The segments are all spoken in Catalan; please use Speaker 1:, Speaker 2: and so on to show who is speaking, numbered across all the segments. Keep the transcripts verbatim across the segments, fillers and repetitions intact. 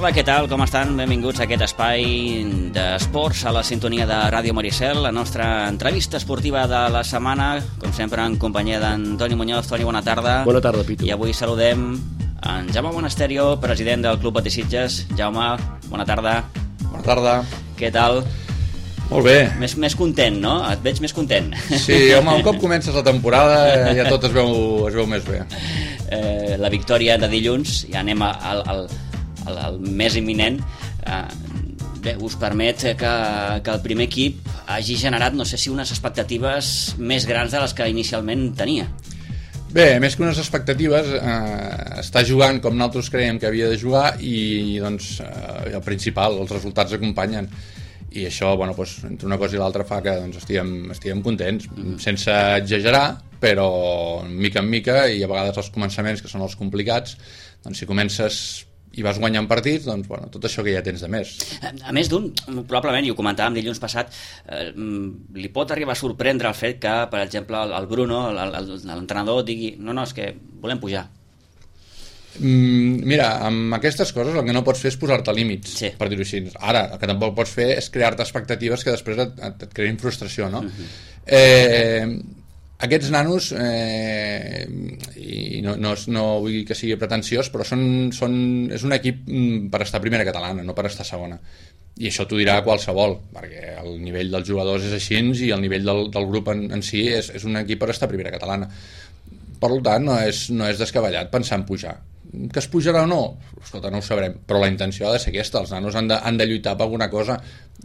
Speaker 1: tarda, què tal? Com estan? Benvinguts a aquest espai d'esports a la sintonia de Ràdio Maricel, la nostra entrevista esportiva de la setmana, com sempre en companyia d'Antoni Muñoz. Toni, bona tarda.
Speaker 2: Bona tarda, Pitu.
Speaker 1: I avui saludem en Jaume Monasterio, president del Club Betis Sitges. Jaume, bona tarda.
Speaker 3: Bona tarda.
Speaker 1: Què tal?
Speaker 3: Molt bé.
Speaker 1: Més, més content, no? Et veig més content.
Speaker 3: Sí, home, un cop comences la temporada ja tot es veu, es veu més bé.
Speaker 1: Eh, la victòria de dilluns, ja anem al, al, al, al més imminent. Eh, bé, us permet que, que el primer equip hagi generat, no sé si unes expectatives més grans de les que inicialment tenia.
Speaker 3: Bé, més que unes expectatives, eh, està jugant com nosaltres creiem que havia de jugar i, doncs, eh, el principal, els resultats acompanyen. I això, bueno, doncs, entre una cosa i l'altra fa que doncs, estiguem, estiguem contents, mm-hmm. sense exagerar, però mica en mica, i a vegades els començaments, que són els complicats, doncs si comences i vas guanyant partits, doncs bueno, tot això que ja tens de més.
Speaker 1: A més d'un, probablement, i ho comentàvem dilluns passat, eh, li pot arribar a sorprendre el fet que, per exemple, el Bruno, l'entrenador, digui no, no, és que volem pujar.
Speaker 3: Mm, mira, amb aquestes coses el que no pots fer és posar-te límits,
Speaker 1: sí.
Speaker 3: per dir-ho així. Ara, el que tampoc pots fer és crear-te expectatives que després et, et, et creïn frustració, no? Uh-huh. Eh, aquests nanos, eh, i no, no, no vull que sigui pretensiós, però són, són, és un equip per estar a primera catalana, no per estar a segona. I això t'ho dirà qualsevol, perquè el nivell dels jugadors és així i el nivell del, del grup en, en si és, és un equip per estar a primera catalana. Per tant, no és, no és descabellat pensar en pujar. Que es pujarà o no? Escolta, no ho sabrem, però la intenció ha de ser aquesta. Els nanos han de, han de lluitar per alguna cosa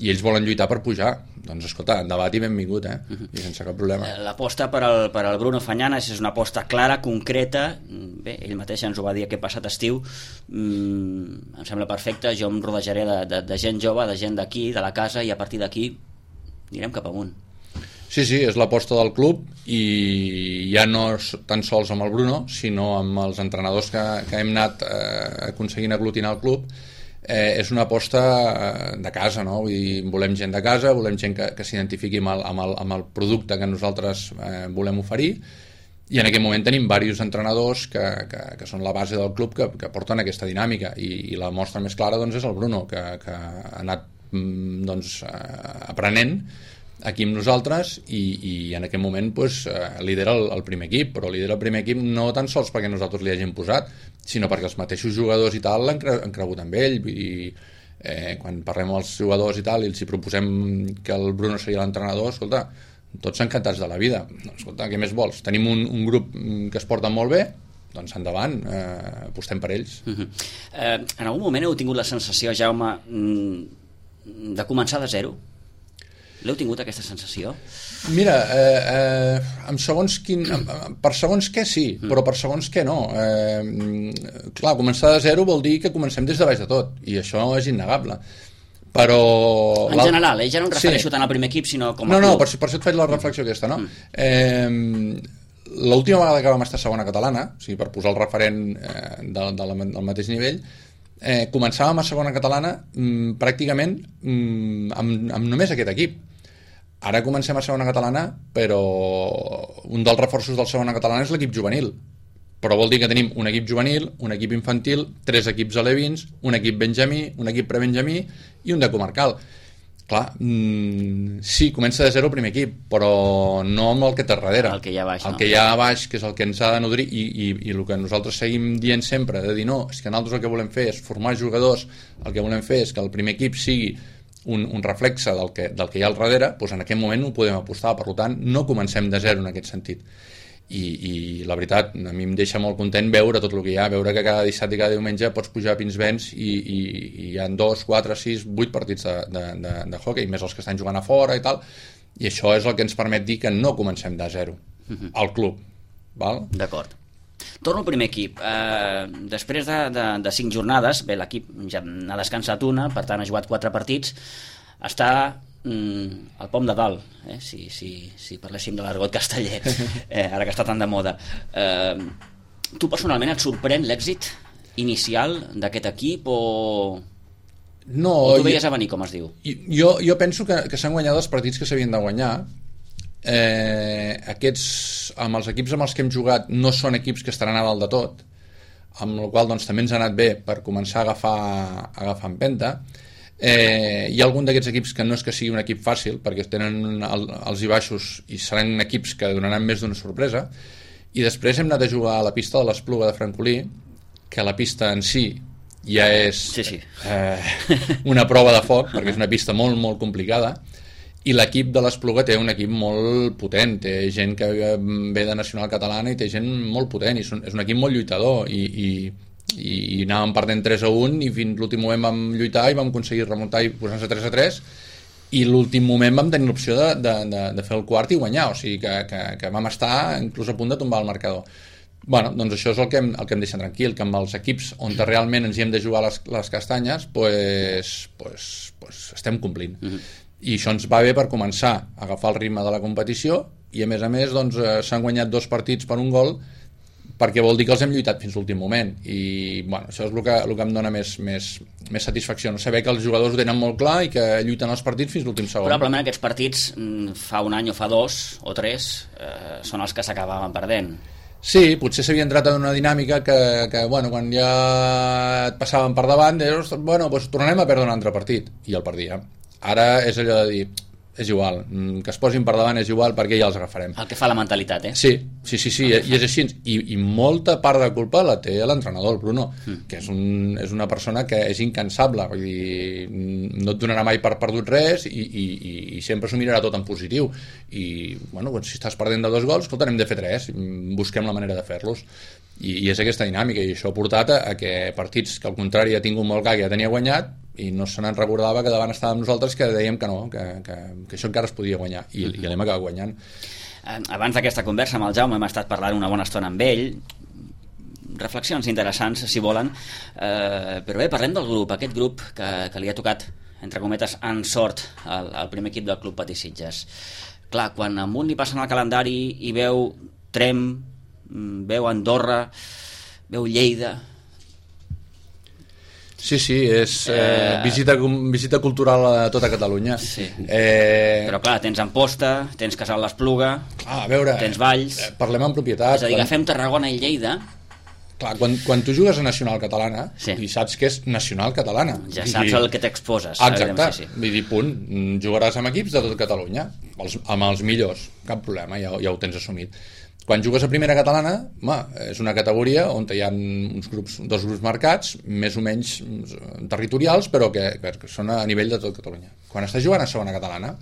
Speaker 3: i ells volen lluitar per pujar. Doncs escolta, debat i benvingut, eh? Uh-huh. I sense cap problema.
Speaker 1: L'aposta per al, per al Bruno Fañanas és una aposta clara, concreta. Bé, ell mateix ens ho va dir aquest passat estiu. Mm, em sembla perfecte. Jo em rodejaré de, de, de gent jove, de gent d'aquí, de la casa, i a partir d'aquí anirem cap amunt.
Speaker 3: Sí, sí, és l'aposta del club i ja no tan sols amb el Bruno, sinó amb els entrenadors que, que hem anat eh, aconseguint aglutinar el club. Eh, és una aposta de casa, no? Vull dir, volem gent de casa, volem gent que, que s'identifiqui amb el, amb, el, amb el producte que nosaltres eh, volem oferir, i en aquest moment tenim diversos entrenadors que, que, que són la base del club que, que porten aquesta dinàmica, i, i la mostra més clara doncs, és el Bruno, que, que ha anat doncs, eh, aprenent aquí amb nosaltres i, i en aquest moment pues, eh, lidera el, el primer equip, però lidera el primer equip no tan sols perquè nosaltres li hagin posat, sinó perquè els mateixos jugadors i tal l'han cre han cregut amb ell. I eh, quan parlem amb els jugadors i tal i els hi proposem que el Bruno seria l'entrenador, escolta, tots encantats de la vida. Escolta, què més vols? Tenim un, un grup que es porta molt bé, doncs endavant, eh, apostem per ells.
Speaker 1: Uh-huh. eh, en algun moment heu tingut la sensació, Jaume, de començar de zero? L'heu tingut, aquesta sensació?
Speaker 3: Mira, eh, eh, amb segons quin, per segons què sí, mm. però per segons què no. Eh, clar, començar de zero vol dir que comencem des de baix de tot, i això és innegable. Però...
Speaker 1: En general, eh? Ja no em refereixo sí. tant al primer equip, sinó com a
Speaker 3: no,
Speaker 1: club.
Speaker 3: No, per, per això et faig la reflexió aquesta, no? Mm. Eh, l'última vegada que vam estar segona catalana, o sigui, per posar el referent eh, de, de la, del mateix nivell, eh, començàvem a segona catalana mm, pràcticament mm, amb, amb només aquest equip. Ara comencem a segona catalana, però un dels reforços del segona catalana és l'equip juvenil. Però vol dir que tenim un equip juvenil, un equip infantil, tres equips alevins, un equip benjamí, un equip prebenjamí i un de comarcal. Clar, mmm, sí, comença de zero el primer equip, però no amb el que té darrere.
Speaker 1: El que hi ha a baix.
Speaker 3: El
Speaker 1: no?
Speaker 3: que hi ha a baix, que és el que ens ha de nodrir, i, i, i el que nosaltres seguim dient sempre, de dir no, és que nosaltres el que volem fer és formar jugadors, el que volem fer és que el primer equip sigui un, un reflexe del que, del que hi ha al darrere, doncs en aquest moment ho podem apostar. Per tant, no comencem de zero en aquest sentit. I, i la veritat, a mi em deixa molt content veure tot el que hi ha, veure que cada dissabte i cada diumenge pots pujar a Pinsbens i, i, i hi ha dos, quatre, sis, vuit partits de, de, de, de hockey, més els que estan jugant a fora i tal, i això és el que ens permet dir que no comencem de zero uh-huh. al club. Val?
Speaker 1: D'acord. Torno al primer equip. Eh, després de, de, de cinc jornades, bé, l'equip ja n'ha descansat una, per tant ha jugat quatre partits, està mm, al pom de dalt, eh? si, si, si parléssim de l'argot casteller, eh, ara que està tan de moda. Eh, tu personalment et sorprèn l'èxit inicial d'aquest equip o,
Speaker 3: no,
Speaker 1: o tu veies
Speaker 3: jo,
Speaker 1: a venir, com es diu?
Speaker 3: Jo, jo penso que, que s'han guanyat els partits que s'havien de guanyar. Eh, aquests, amb els equips amb els que hem jugat, no són equips que estaran a dalt de tot. amb la qual doncs, també ens ha anat bé per començar a agafar, a agafar empenta. Eh, hi ha algun d'aquests equips que no és que sigui un equip fàcil, perquè tenen el, els i baixos i seran equips que donaran més d'una sorpresa. I després hem anat a jugar a la pista de l'Espluga de Francolí, que la pista en si ja és
Speaker 1: sí, sí.
Speaker 3: Eh, una prova de foc, perquè és una pista molt, molt complicada, i l'equip de l'Espluga té un equip molt potent, té gent que ve de Nacional Catalana i té gent molt potent, i és un equip molt lluitador, i, i i anàvem perdent tres a un i fins l'últim moment vam lluitar i vam aconseguir remuntar i posar-nos a tres a tres, i l'últim moment vam tenir l'opció de, de, de, de fer el quart i guanyar, o sigui que, que, que vam estar inclús a punt de tombar el marcador. Bueno, doncs això és el que hem, el que hem deixat tranquil, que amb els equips on realment ens hi hem de jugar les, les castanyes, pues, pues, pues estem complint. Uh-huh. I això ens va bé per començar a agafar el ritme de la competició, i a més a més doncs, eh, s'han guanyat dos partits per un gol, perquè vol dir que els hem lluitat fins l'últim moment, i bueno, això és el que, el que em dona més, més, més satisfacció, no? Saber que els jugadors ho tenen molt clar i que lluiten els partits fins l'últim segon.
Speaker 1: Probablement aquests partits fa un any o fa dos o tres eh, són els que s'acabaven perdent.
Speaker 3: Sí, potser s'havia entrat en una dinàmica que, que bueno, quan ja et passaven per davant deies, bueno, doncs tornarem a perdre un altre partit, i el perdíem. Ara és allò de dir, és igual, que es posin per davant és igual, perquè ja els agafarem.
Speaker 1: El que fa la mentalitat, eh?
Speaker 3: Sí, sí, sí, sí, i és així. I, i molta part de culpa la té l'entrenador, el Bruno, mm. que és, un, és una persona que és incansable, vull dir, no et donarà mai per perdut res, i, i, i sempre s'ho mirarà tot en positiu. I, bueno, doncs, si estàs perdent de dos gols, escolta, hem de fer tres, busquem la manera de fer-los. I, i és aquesta dinàmica, i això ha portat a, a que partits que al contrari ha tingut molt clar, que ja tenia guanyat, i no se n'en recordava que davant estàvem nosaltres que dèiem que no, que, que, que això encara es podia guanyar, i, mm-hmm. i l'hem acabat guanyant.
Speaker 1: Abans d'aquesta conversa amb el Jaume hem estat parlant una bona estona amb ell, reflexions interessants si volen, eh, però bé, parlem del grup, aquest grup que, que li ha tocat, entre cometes, en sort al, al primer equip del Club Patí Sitges. Clar, quan a un li passen el calendari i veu Trem, veu Andorra, veu Lleida...
Speaker 3: Sí, sí, és eh, visita, visita cultural a tota Catalunya.
Speaker 1: Sí.
Speaker 3: Eh...
Speaker 1: Però clar, tens Amposta, tens Casal l'Espluga,
Speaker 3: ah, a veure,
Speaker 1: tens Valls...
Speaker 3: Eh, parlem en propietat.
Speaker 1: És a dir, quan... agafem Tarragona i Lleida...
Speaker 3: Clar, quan, quan tu jugues a Nacional Catalana,
Speaker 1: sí.
Speaker 3: i saps que és Nacional Catalana.
Speaker 1: Ja saps dir... el que t'exposes.
Speaker 3: Exacte, sí, sí. Vull dir, punt, jugaràs amb equips de tot Catalunya, els, amb els millors, cap problema, ja, ja ho tens assumit. Quan jugues a primera catalana, home, és una categoria on hi ha uns grups, dos grups marcats, més o menys territorials, però que, que són a nivell de tot Catalunya. Quan estàs jugant a segona catalana,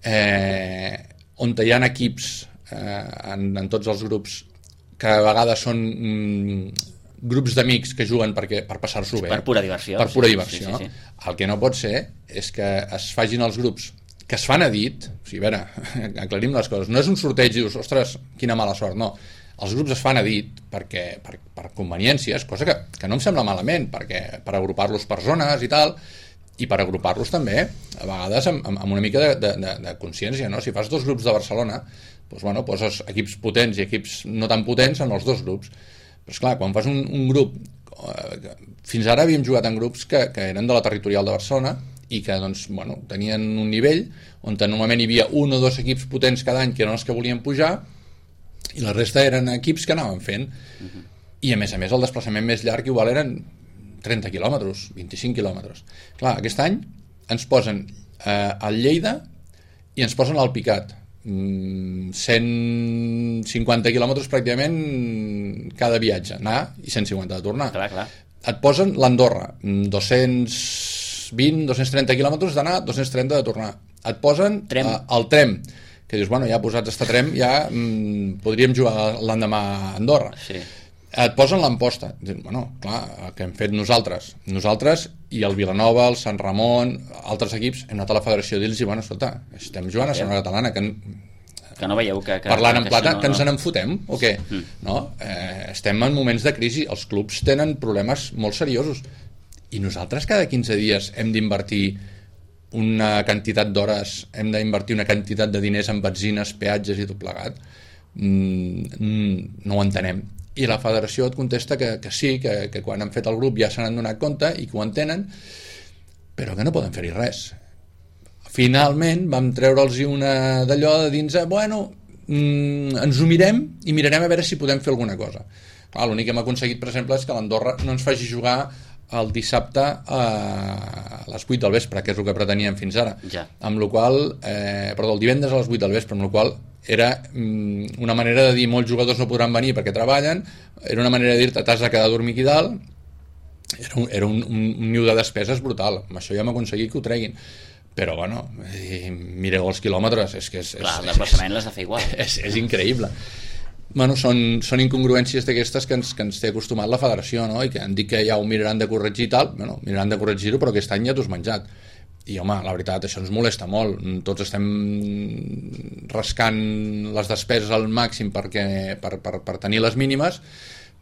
Speaker 3: eh, on hi ha equips eh, en, en tots els grups que a vegades són mm, grups d'amics que juguen perquè, per passar-s'ho bé.
Speaker 1: Per pura diversió.
Speaker 3: Per pura
Speaker 1: sí,
Speaker 3: diversió.
Speaker 1: Sí, sí, sí.
Speaker 3: El que no pot ser és que es facin els grups que es fan a dit, o sigui, a veure, aclarim les coses, no és un sorteig i dius, ostres, quina mala sort, no. Els grups es fan a dit perquè, per, per conveniències, cosa que, que no em sembla malament, perquè per agrupar-los per zones i tal, i per agrupar-los també, a vegades amb, amb una mica de, de, de, de consciència, no? Si fas dos grups de Barcelona, doncs, bueno, poses equips potents i equips no tan potents en els dos grups. Però esclar, quan fas un, un grup, eh, fins ara havíem jugat en grups que, que eren de la territorial de Barcelona, i que doncs, bueno, tenien un nivell on normalment hi havia un o dos equips potents cada any que eren els que volien pujar, i la resta eren equips que anaven fent. Uh-huh. I a més a més el desplaçament més llarg igual eren trenta quilòmetres, vint-i-cinc quilòmetres. Clar, aquest any ens posen eh, al Lleida i ens posen al Picat, mm, cent cinquanta quilòmetres pràcticament cada viatge, anar i cent cinquanta de tornar.
Speaker 1: Clar, clar.
Speaker 3: Et posen l'Andorra, dos-cents vint, dos-cents trenta quilòmetres d'anar, dos-cents trenta de tornar. Et posen
Speaker 1: Trem.
Speaker 3: Uh, el Trem, que dius, bueno, ja posats a Trem, ja mm, podríem jugar l'endemà a Andorra.
Speaker 1: Sí.
Speaker 3: Et posen l'Amposta. Dius, bueno, clar, el que hem fet nosaltres. Nosaltres i el Vilanova, el Sant Ramon, altres equips, hem anat a la federació a dir-los, bueno, escolta, estem jugant a segona catalana, que...
Speaker 1: que no veieu que... que
Speaker 3: parlant en
Speaker 1: que
Speaker 3: plata,
Speaker 1: no,
Speaker 3: que ens
Speaker 1: no.
Speaker 3: n'en fotem o què? Mm. No? Eh, estem en moments de crisi, els clubs tenen problemes molt seriosos, i nosaltres cada quinze dies hem d'invertir una quantitat d'hores, hem d'invertir una quantitat de diners en benzines, peatges i tot plegat. Mm, no ho entenem. I la federació et contesta que, que sí, que, que quan han fet el grup ja se n'han donat compte i que ho entenen, però que no poden fer-hi res. Finalment vam treure'ls una d'allò de dins, bueno, mm, ens ho mirem i mirarem a veure si podem fer alguna cosa. Clar, l'únic que hem aconseguit, per exemple, és que l'Andorra no ens faci jugar el dissabte a les vuit del vespre, que és el que preteníem fins ara.
Speaker 1: Ja.
Speaker 3: Amb la qual eh, perdó, el divendres a les vuit del vespre, amb la qual era mm, una manera de dir molts jugadors no podran venir perquè treballen, era una manera de dir-te t'has de quedar a dormir aquí dalt. Era un, era un, un, un niu de despeses brutal. Amb això ja hem aconseguit que ho treguin. Però, bueno, eh, mireu els quilòmetres, és que és...
Speaker 1: Clar,
Speaker 3: és,
Speaker 1: el desplaçament l'has de fer igual.
Speaker 3: És, és increïble. Bueno, són, són incongruències d'aquestes que ens, que ens té acostumat la federació, no? I que han dit que ja ho miraran de corregir i tal. Bueno, miraran de corregir-ho, però aquest any ja t'ho has menjat. I, home, la veritat, això ens molesta molt. Tots estem rascant les despeses al màxim perquè, per, per, per tenir les mínimes,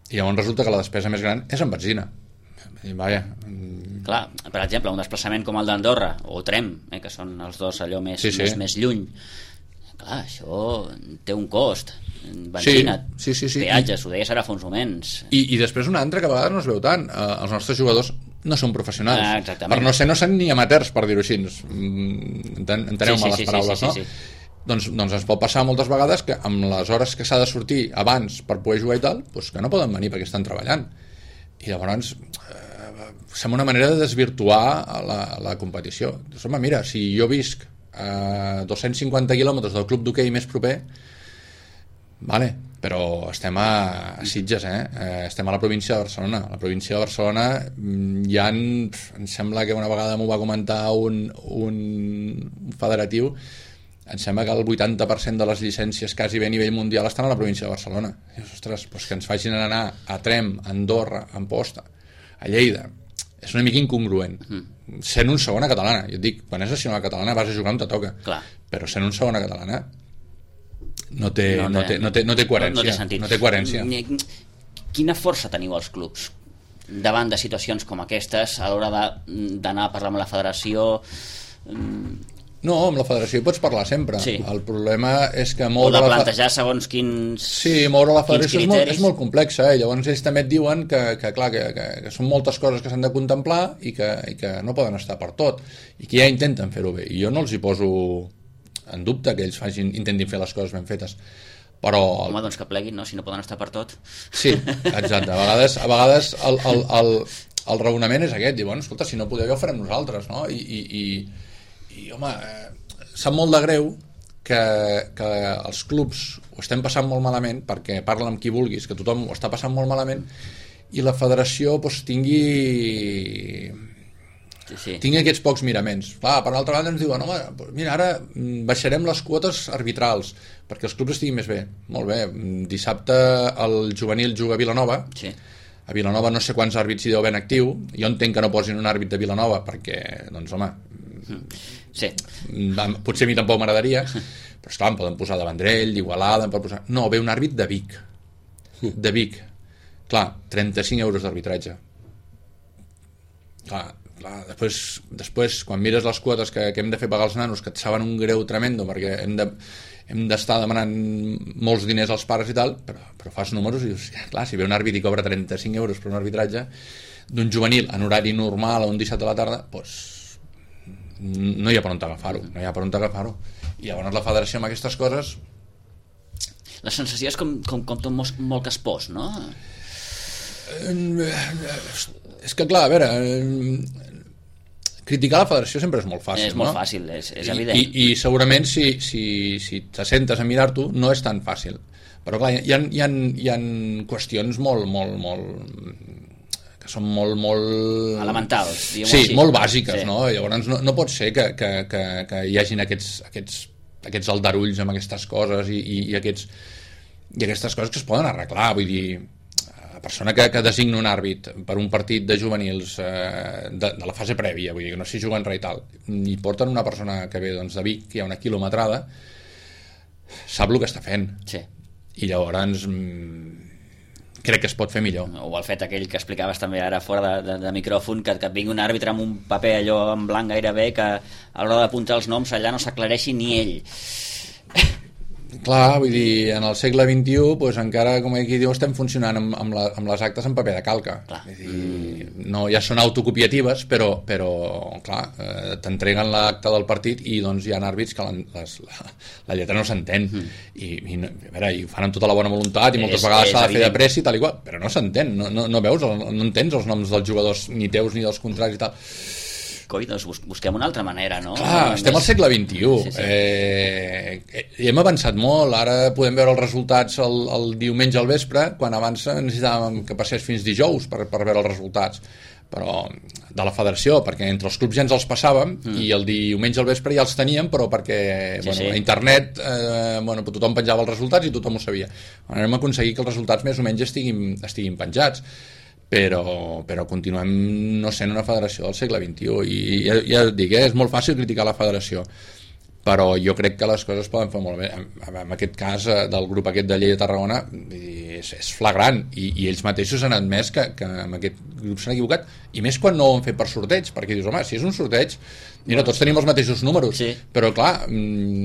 Speaker 3: i llavors resulta que la despesa més gran és en benzina. I, vaja...
Speaker 1: Clar, per exemple, un desplaçament com el d'Andorra o Trem, eh, que són els dos allò més,
Speaker 3: sí, sí.
Speaker 1: més, més lluny, clar, això té un cost, benzina,
Speaker 3: sí, sí, sí, sí.
Speaker 1: peatges, ho deies ara fa uns moments.
Speaker 3: I, i després una altra que a vegades no es veu tant, eh, els nostres jugadors no són professionals,
Speaker 1: ah, exactament.
Speaker 3: per no ser no són ni amateurs, per dir-ho així. Enteneu-me
Speaker 1: sí, sí,
Speaker 3: les
Speaker 1: sí,
Speaker 3: paraules,
Speaker 1: sí, sí, sí,
Speaker 3: no?
Speaker 1: sí.
Speaker 3: Doncs, doncs ens pot passar moltes vegades que amb les hores que s'ha de sortir abans per poder jugar i tal, doncs que no poden venir perquè estan treballant. I llavors eh, sembla una manera de desvirtuar la, la competició. Doncs, home, mira, si jo visc a dos-cents cinquanta quilòmetres del club d'hoquei més proper, vale, però estem a, a Sitges, eh? eh? Estem a la província de Barcelona. A la província de Barcelona hi ha, em sembla que una vegada m'ho va comentar un, un federatiu, em sembla que el vuitanta per cent de les llicències quasi bé a nivell mundial estan a la província de Barcelona. I, ostres, doncs que ens facin anar a Trem, a Andorra, a Amposta, a Lleida, és una mica incongruent. Mm. Sent un segona catalana, jo et dic, quan és nacional catalana vas a jugar on te toca.
Speaker 1: Clar.
Speaker 3: Però sent un segona catalana no té,
Speaker 1: no,
Speaker 3: no, té, no, té, no té coherència.
Speaker 1: No, no té sentit.
Speaker 3: No té coherència.
Speaker 1: Quina força teniu els clubs davant de situacions com aquestes a l'hora d'anar a parlar amb la federació?
Speaker 3: No, amb la federació hi pots parlar sempre.
Speaker 1: Sí.
Speaker 3: El problema és que
Speaker 1: o
Speaker 3: moure
Speaker 1: de
Speaker 3: la
Speaker 1: plantejar segons quins
Speaker 3: Sí, moure la federació és molt, és molt complexa, eh? Llavors ells també et diuen que, que, clar, que, que, que són moltes coses que s'han de contemplar i que, i que no poden estar per tot i que ja intenten fer-ho bé, i jo no els hi poso en dubte que ells facin, intentin fer les coses ben fetes, però...
Speaker 1: Home, doncs que pleguin, no? Si no poden estar per tot.
Speaker 3: Sí, exacte. A vegades, a vegades el, el, el, el raonament és aquest, dir, bueno, escolta, si no podeu ja ho farem nosaltres, no? I, i, i, i home, eh, sap molt de greu que, que els clubs ho estem passant molt malament, perquè parla amb qui vulguis, que tothom ho està passant molt malament, i la federació doncs, tingui...
Speaker 1: Sí, sí.
Speaker 3: tingui aquests pocs miraments. Clar, per l'altra banda ens diuen, home, mira, ara baixarem les quotes arbitrals perquè els clubs estiguin més bé. Molt bé, dissabte el juvenil juga a Vilanova,
Speaker 1: sí.
Speaker 3: A Vilanova no sé quants àrbits hi deu ben actiu, jo entenc que no posin un àrbit de Vilanova perquè, doncs home,
Speaker 1: sí.
Speaker 3: Potser a mi tampoc m'agradaria, però esclar, em poden posar de Vendrell, d'Igualada, em poden posar... No, ve un àrbit de Vic, de Vic. Clar, trenta-cinc euros d'arbitratge. Clar, clar, després, després quan mires les quotes que, que hem de fer pagar els nanos, que et saben un greu tremendo perquè hem de, hem d'estar demanant molts diners als pares i tal, però, però fas números i dius, clar, si ve un àrbit i cobra trenta-cinc euros per un arbitratge d'un juvenil en horari normal a un dissabte a la tarda, doncs no hi ha per on agafar-ho, no hi ha per on agafar-ho. I llavors la federació amb aquestes coses...
Speaker 1: La sensació és com, com, com tot molt, molt caspós, no?
Speaker 3: És que clar, a veure, criticar la federació sempre és molt fàcil,
Speaker 1: és molt
Speaker 3: no?
Speaker 1: fàcil, és, és evident.
Speaker 3: I, i, i segurament si, si, si t'assentes a mirar-t'ho no és tan fàcil, però clar, hi ha, hi ha, hi ha qüestions molt, molt, molt que són molt, molt...
Speaker 1: elementals, diguem-ho
Speaker 3: sí,
Speaker 1: així.
Speaker 3: molt bàsiques,
Speaker 1: sí.
Speaker 3: No? Llavors no, no pot ser que, que, que, que hi hagin aquests, aquests, aquests aldarulls amb aquestes coses i, i, i, aquests, i aquestes coses que es poden arreglar, vull dir, la persona que, que designa un àrbit per un partit de juvenils eh, de, de la fase prèvia, vull dir que no s'hi juguen res i tal, i porten una persona que ve doncs, de Vic, que hi ha una quilometrada, sap el que està fent.
Speaker 1: Sí.
Speaker 3: I llavors mmm, crec que es pot fer millor.
Speaker 1: O el fet aquell que explicaves també ara fora de, de, de micròfon, que, que et vingui un àrbitre amb un paper allò en blanc gairebé, que a l'hora d'apuntar els noms allà no s'aclareixi ni ell.
Speaker 3: Clar, vull dir, en el segle vint-i-u pues, encara, com aquí diu, estem funcionant amb, amb, la, amb les actes en paper de calca. Vull dir, no, ja són autocopiatives, però, però clar, eh, t'entreguen l'acte del partit i doncs hi ha àrbits que les, la, la lletra no s'entén. Mm. I, i, no, a veure, i ho fan amb tota la bona voluntat i moltes és, vegades s'ha de fer de pressa i tal i qual, però no s'entén, no, no, no veus, no entens els noms dels jugadors, ni teus ni dels contractes i tal.
Speaker 1: Coi, doncs busquem una altra manera, no?
Speaker 3: Clar, estem al segle vint-i-u. Sí, sí. Eh, hem avançat molt, ara podem veure els resultats el, el diumenge al vespre, quan abans necessitàvem que passés fins dijous per, per veure els resultats, però de la federació, perquè entre els clubs ja ens els passàvem mm. i el diumenge al vespre ja els teníem, però perquè sí, bueno, sí. a internet eh, bueno, tothom penjava els resultats i tothom ho sabia. Hem aconseguit que els resultats més o menys estiguin, estiguin penjats, però, però continuem no sent una federació del segle vint-i-u i ja, ja et dic, eh, és molt fàcil criticar la federació, però jo crec que les coses poden fer molt bé. En, en aquest cas del grup aquest de Lleida Tarragona és, és flagrant i, i ells mateixos han admès que, que amb aquest grup s'han equivocat, i més quan no ho han fet per sorteig, perquè dius, home, si és un sorteig mira, tots tenim els mateixos números, sí. Però clar,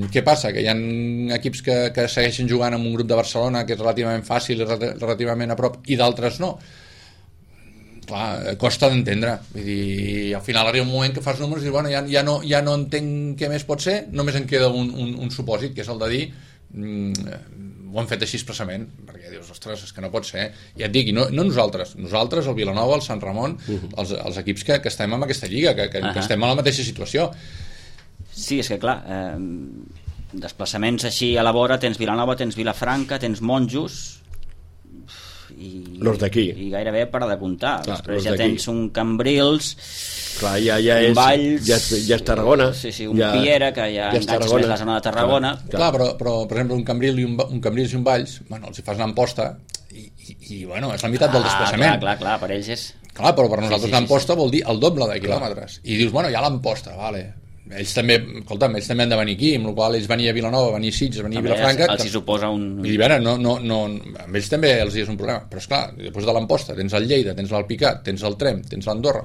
Speaker 3: què passa? Que hi ha equips que, que segueixen jugant amb un grup de Barcelona que és relativament fàcil i relativament a prop i d'altres no. Clar, costa d'entendre, vull dir, al final arriba un moment que fas números i dius, bueno, ja, ja, no, ja no entenc què més pot ser, només en queda un, un, un supòsit, que és el de dir mm, ho han fet així expressament, perquè dius, ostres, és que no pot ser, ja et dic, i no, no nosaltres, nosaltres, el Vilanova, el Sant Ramon, uh-huh. els, els equips que, que estem en aquesta lliga, que, que, uh-huh. que estem en la mateixa situació.
Speaker 1: Sí, és que clar, eh, desplaçaments així a la vora, tens Vilanova, tens Vilafranca, tens Monjos, i,
Speaker 2: los d'aquí
Speaker 1: i gairebé per de comptar. Clar, després ja tens un Cambrils,
Speaker 2: clar, ja, ja és,
Speaker 1: Valls,
Speaker 2: ja, ja és Tarragona,
Speaker 1: sí, sí, un
Speaker 2: ja,
Speaker 1: Piera que ja, ja enganxes més la zona de Tarragona,
Speaker 3: clar, clar. clar però, però per exemple un Cambrils i un, un, Cambrils i un Valls, bueno, els hi fas l'Amposta i, i, i bueno, és la meitat ah, del desplaçament,
Speaker 1: clar, clar, clar, per ells és
Speaker 3: clar, però per nosaltres sí, sí, l'Amposta sí, sí. vol dir el doble de quilòmetres, i dius, bueno, ja l'Amposta, vale, ells també, escolta'm, ells també han de venir aquí, amb la qual ells venia a Vilanova, venia a Sitges, venia a Vilafranca,
Speaker 1: els hi suposa un...
Speaker 3: I veure, no, no, no, amb ells també els hi és un problema, però esclar, després de l'Amposta tens el Lleida, tens l'Alpicat, tens el Trem, tens l'Andorra,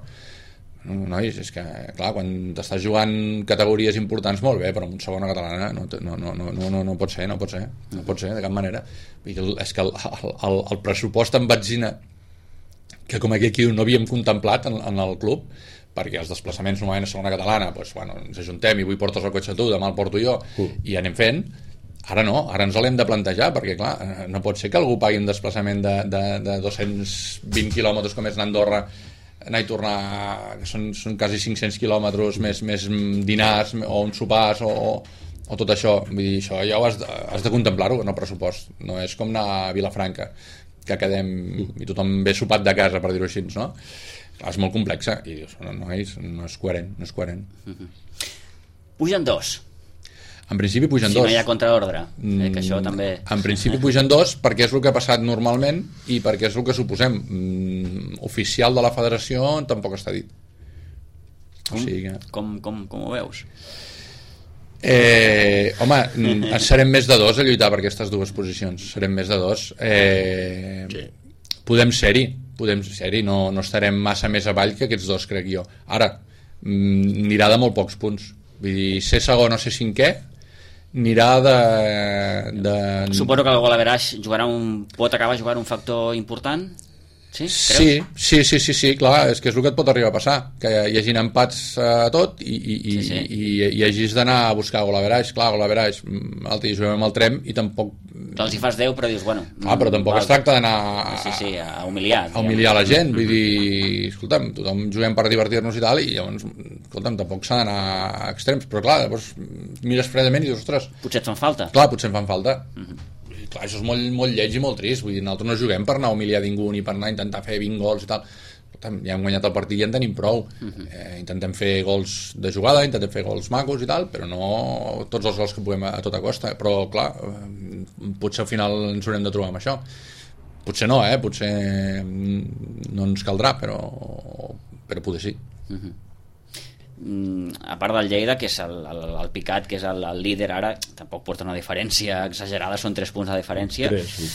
Speaker 3: nois, és que clar, quan t'estàs jugant categories importants molt bé, però en segona catalana no, no, no, no, no, no pot ser, no pot ser, no pot ser de cap manera. És que el, el, el pressupost en benzina que com aquí no havíem contemplat en, en el club, perquè els desplaçaments normalment a segona catalana doncs, bueno, ens ajuntem i avui portes el cotxe tu, demà el porto jo uh. i anem fent. Ara no, ara ens l'hem de plantejar perquè clar, no pot ser que algú pagui un desplaçament de, de, de dos-cents vint quilòmetres com és l'Andorra, anar i tornar, que són, són quasi cinc-cents quilòmetres més, més dinars o uns sopars o, o tot això. Vull dir, això ja ho has de, has de contemplar-ho en el pressupost, no és com anar a Vilafranca que quedem i tothom ve sopat de casa, per dir-ho així, no? Clar, és molt complexa i dius, no, no, és, no és coherent, no és coherent.
Speaker 1: Uh-huh. Pugen dos.
Speaker 3: En principi pugen
Speaker 1: si
Speaker 3: dos.
Speaker 1: Si no hi ha contraordre, eh, que això també...
Speaker 3: En principi pugen dos perquè és el que ha passat normalment i perquè és el que suposem. Mm, oficial de la federació tampoc està dit.
Speaker 1: Com, o sigui que... com, com, com ho veus?
Speaker 3: Eh, home, serem més de dos a lluitar per aquestes dues posicions. Serem més de dos. Eh, sí. Podem ser-hi, podem ser-hi, no, no estarem massa més avall que aquests dos, crec jo. Ara, anirà de molt pocs punts. Vull dir, ser segon o ser cinquè, anirà de... de...
Speaker 1: Suposo que el gol average jugarà un, pot acabar jugant un factor important? Sí,
Speaker 3: sí, sí, sí, sí, sí, clar, és que és el que et pot arribar a passar, que hi hagi empats a tot i, i, sí, sí. i, i, i hagis d'anar a buscar gol average, clar, gol average, l'altre dia juguem amb el Trem i tampoc...
Speaker 1: Els hi fas deu, però dius, bueno...
Speaker 3: Ah, però tampoc val. Es tracta d'anar a,
Speaker 1: sí, sí, a humiliar.
Speaker 3: A humiliar la gent, vull dir, escolta'm, tothom juguem per divertir-nos i tal, i llavors, escolta'm, tampoc s'ha d'anar a extrems, però clar, llavors mires fredament i dius, ostres...
Speaker 1: Potser et fan falta.
Speaker 3: Clar, potser em fan falta.
Speaker 1: Uh-huh.
Speaker 3: Clar, això és molt, molt lleig i molt trist, vull dir, nosaltres no juguem per anar a humiliar ningú ni per anar a intentar fer vint gols i tal, ja hem guanyat el partit i ja en tenim prou. Uh-huh. eh, intentem fer gols de jugada, intentem fer gols macos i tal, però no tots els gols que puguem a, a tota costa, però clar, eh, potser al final ens haurem de trobar amb això, potser no, eh? Potser no ens caldrà, però, però potser sí.
Speaker 1: Uh-huh. A part del Lleida, que és el, el, el Picat, que és el, el líder ara, tampoc porta una diferència exagerada, són tres punts de diferència.
Speaker 2: Tres, sí.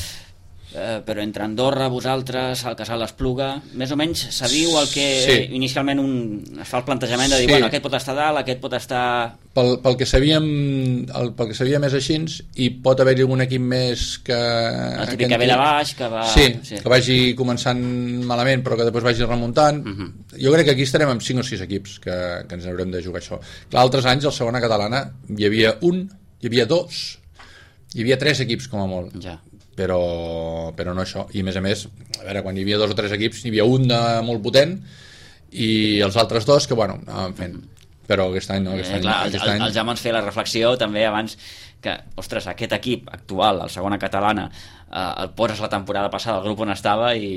Speaker 1: eh, però entre Andorra, vosaltres, el Casal d'Espluga, més o menys sabíu el que
Speaker 3: sí.
Speaker 1: inicialment un, es fa el plantejament de dir,
Speaker 3: sí.
Speaker 1: bueno, aquest pot estar dalt, aquest pot estar...
Speaker 3: Pel, pel que sabíem el, pel que sabíem és així, i pot haver-hi algun equip més que...
Speaker 1: El típic que ve de baix, que va...
Speaker 3: Sí, sí, que vagi començant malament però que després vagi remuntant. Uh-huh. Jo crec que aquí estarem amb cinc o sis equips que, que ens haurem de jugar això. Clar, altres anys, a la segona catalana, hi havia un, hi havia dos, hi havia tres equips com a molt.
Speaker 1: Ja.
Speaker 3: Però, però no això, i a més a més a veure, quan hi havia dos o tres equips hi havia un de molt potent i els altres dos que bueno, anaven fent, però aquest any no, aquest
Speaker 1: eh,
Speaker 3: any,
Speaker 1: clar,
Speaker 3: aquest
Speaker 1: el,
Speaker 3: any...
Speaker 1: el, el Jaume ens feia la reflexió també abans que, ostres, aquest equip actual, el segona catalana, eh, el poses la temporada passada al grup on estava i...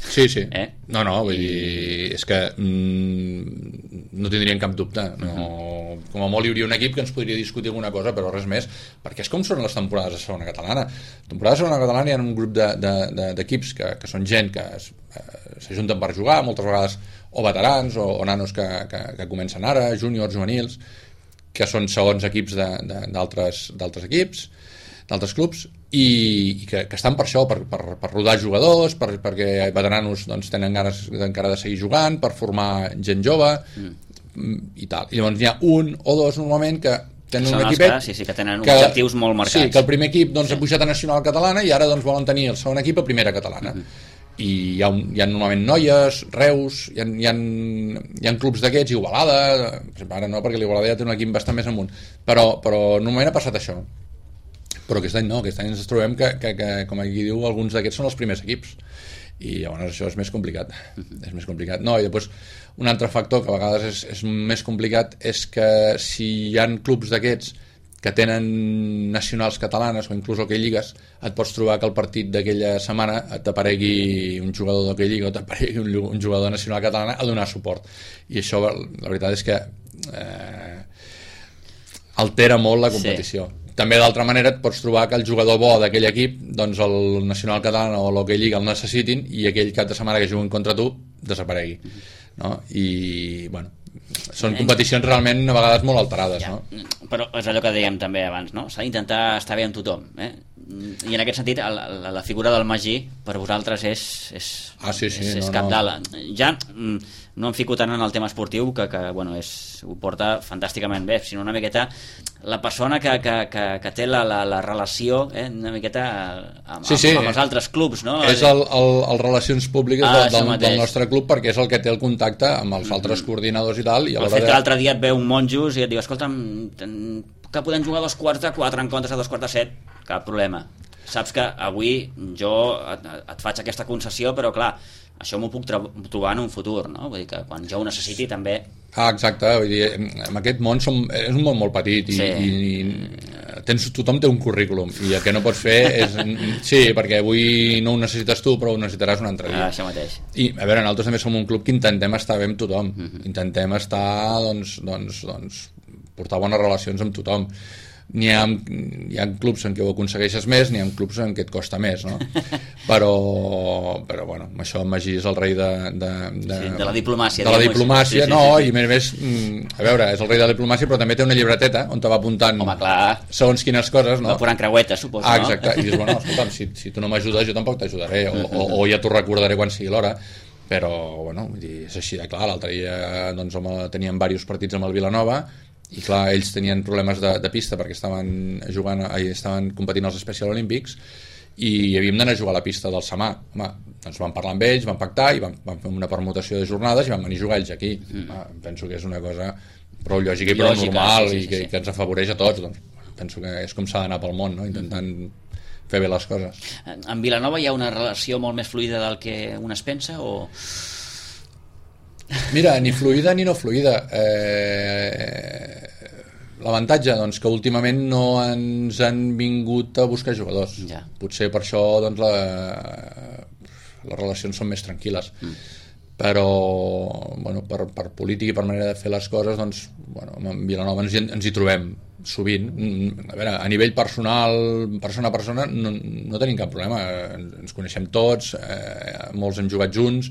Speaker 3: Sí, sí,
Speaker 1: eh?
Speaker 3: no, no, vull dir, és que mm, no tindrien cap dubte, no, com a molt hi hauria un equip que ens podria discutir alguna cosa, però res més, perquè és com són les temporades de segona catalana. La temporada de segona catalana hi ha un grup d'equips de, de, de, que, que són gent que s'ajunten per jugar, moltes vegades o veterans o, o nanos que, que, que comencen ara, júniors, juvenils, que són segons equips d'altres equips, d'altres clubs, i, i que, que estan per això, per, per, per rodar jugadors, per, perquè veteranos doncs, tenen ganes encara de seguir jugant, per formar gent jove mm. i tal. I llavors n'hi ha un o dos normalment que tenen un equipet
Speaker 1: que, sí, sí, que tenen que, objectius molt marcats.
Speaker 3: Sí, que el primer equip doncs, sí. ha pujat a Nacional Catalana i ara doncs, volen tenir el segon equip a Primera Catalana. Mm-hmm. I hi ha, un, hi ha normalment noies, Reus, hi ha, hi ha, hi ha clubs d'aquests, Igualada, ara no, perquè l'Igualada ja té un equip bastant més amunt, però, però normalment ha passat això. Però aquest any no, aquest any ens trobem que, que, que com aquí diu, alguns d'aquests són els primers equips i llavors això és més complicat és més complicat, no, i després un altre factor que a vegades és, és més complicat és que si hi ha clubs d'aquests que tenen nacionals catalanes o inclús hoquei lligues, et pots trobar que el partit d'aquella setmana t'aparegui un jugador d'hoquei lliga o t'aparegui un, un jugador nacional catalana a donar suport, i això la veritat és que eh, altera molt la competició. Sí. També d'altra manera et pots trobar que el jugador bo d'aquell equip, doncs el Nacional Català o l'Hockey Lliga el necessitin i aquell cap de setmana que juguen contra tu desaparegui, no? I bueno, són competicions realment a vegades molt alterades, ja, no?
Speaker 1: Però és allò que dèiem també abans, no? S'ha d'intentar estar bé amb tothom, eh? I en aquest sentit la, la, la figura del Magí per vosaltres és, és,
Speaker 3: ah, sí, sí,
Speaker 1: és, és
Speaker 3: no,
Speaker 1: capdalt. Ja no em fico tant en el tema esportiu, que, que bueno, és, ho porta fantàsticament bé, sinó una miqueta la persona que, que, que, que té la, la, la relació, eh, una miqueta amb,
Speaker 3: sí, sí.
Speaker 1: amb, amb els altres clubs, no?
Speaker 3: És el, el, el relacions públiques
Speaker 1: ah,
Speaker 3: del, del, del nostre club, perquè és el que té el contacte amb els altres mm-hmm. coordinadors i tal. I
Speaker 1: el fet que l'altre dia et ve un monjos i et diu, escolta'm, que podem jugar a dos quarts de quatre en comptes de dos quarts de set, cap problema. Saps que avui jo et, et faig aquesta concessió, però clar, això m'ho puc trobar en un futur, no? Vull dir que quan jo ho necessiti també...
Speaker 3: Ah, exacte, vull dir, en aquest món som, és un món molt petit i, sí. i, i tens, tothom té un currículum i el que no pots fer és... Sí, perquè avui no ho necessites tu, però ho necessitaràs un altre dia.
Speaker 1: Ah, això mateix.
Speaker 3: I, a veure, nosaltres també som un club que intentem estar bé amb tothom, mm-hmm. intentem estar, doncs, doncs, doncs, portar bones relacions amb tothom. N'hi ha, hi ha clubs en què ho aconsegueixes més, n'hi ha clubs en què et costa més, no? Però, però bueno, això en Magí és el rei de, de, de,
Speaker 1: sí, de la diplomàcia.
Speaker 3: De la diplomàcia, sí, sí, no, sí, sí. I a més, a veure, és el rei de la diplomàcia, però també té una llibreteta on te va apuntant
Speaker 1: Home, clar.
Speaker 3: segons quines coses, no?
Speaker 1: Va posant creuetes, suposo,
Speaker 3: ah, exacte, no? I dius, bueno, escolta'm, si, si tu no m'ajudes, jo tampoc t'ajudaré, o, o, o ja t'ho recordaré quan sigui l'hora, però, bueno, vull dir, és així de clar. L'altre dia, doncs, home, teníem diversos partits amb el Vilanova, i clar, ells tenien problemes de, de pista perquè estaven jugant, estaven competint als Special Olympics i havíem d'anar a jugar a la pista del Samà. Home, doncs vam parlar amb ells, vam pactar i vam, vam fer una permutació de jornades i vam venir a jugar ells aquí. Mm. Home, penso que és una cosa prou lògica i prou lògica, normal, sí, sí, i que, sí. que ens afavoreix a tots. Doncs, penso que és com s'ha d'anar pel món, no? Intentant fer bé les coses.
Speaker 1: En Vilanova hi ha una relació molt més fluida del que un es pensa o...
Speaker 3: Mira, ni fluida ni no fluida. Eh, l'avantatge, doncs, que últimament no ens han vingut a buscar jugadors.
Speaker 1: Ja.
Speaker 3: Potser per això, doncs, la, les relacions són més tranquil·les. Mm. Però, bueno, per, per política i per manera de fer les coses, doncs, bueno, en Vilanova ens, ens hi trobem sovint. A veure, a nivell personal, persona a persona, no, no tenim cap problema. Ens coneixem tots, eh, molts hem jugat junts,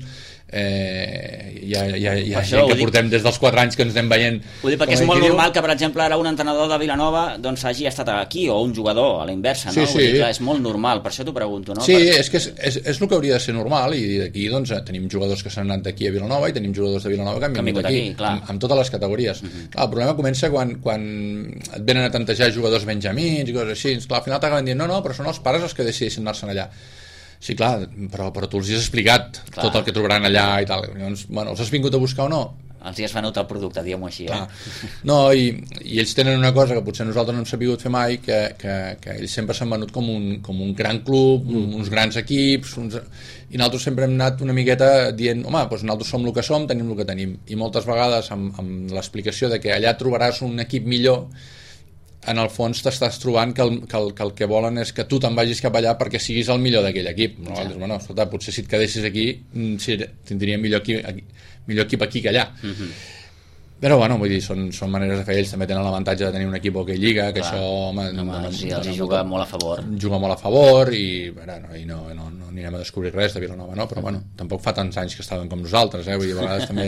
Speaker 3: eh, hi ha, hi ha, hi ha gent que portem des dels quatre anys que ens anem veient.
Speaker 1: Ho dic perquè és molt normal que, per exemple, ara un entrenador de Vilanova doncs, hagi estat aquí, o un jugador a la inversa, no?
Speaker 3: Sí, sí.
Speaker 1: Dir, clar, és molt normal, per això t'ho pregunto, no?
Speaker 3: Sí,
Speaker 1: per...
Speaker 3: és que és, és, és el que hauria de ser normal, i d'aquí doncs, tenim jugadors que s'han anat d'aquí a Vilanova i tenim jugadors de Vilanova que han vingut aquí, aquí amb, amb totes les categories. Uh-huh. Clar, el problema comença quan, quan et venen a tantejar jugadors benjamins i coses així. Clar, al final t'acaben dient, no, no, però són els pares els que decideixen anar-se'n allà. Sí, clar, però, però tu els has explicat clar. Tot el que trobaran allà i tal. Llavors, bueno, els has vingut a buscar o no?
Speaker 1: Els hi has venut el producte, diguem-ho així.
Speaker 3: Clar.
Speaker 1: Eh?
Speaker 3: No, i, i ells tenen una cosa que potser nosaltres no hem sabut fer mai, que, que, que ells sempre s'han venut com un, com un gran club, mm. uns grans equips, uns... i nosaltres sempre hem anat una miqueta dient, home, doncs nosaltres som el que som, tenim el que tenim. I moltes vegades amb, amb l'explicació de que allà trobaràs un equip millor, en el fons t'estàs trobant que el, que, el, que el que volen és que tu te'n vagis cap allà perquè siguis el millor d'aquell equip. No? Ja. Bueno, escolta, potser si et quedessis aquí sí, tindríem millor equip, millor equip aquí que allà. Mm-hmm. Però bueno, vull dir, són, són maneres de fer. Ells també tenen l'avantatge de tenir un equip hockey lliga, que clar. Això home,
Speaker 1: no,
Speaker 3: no,
Speaker 1: sí, els hi juga molt a favor
Speaker 3: juga molt a favor i, bueno, no, i no, no, no anirem a descobrir res de Vilanova, no? Però bueno, tampoc fa tants anys que estaven com nosaltres, eh? Vull dir, a vegades també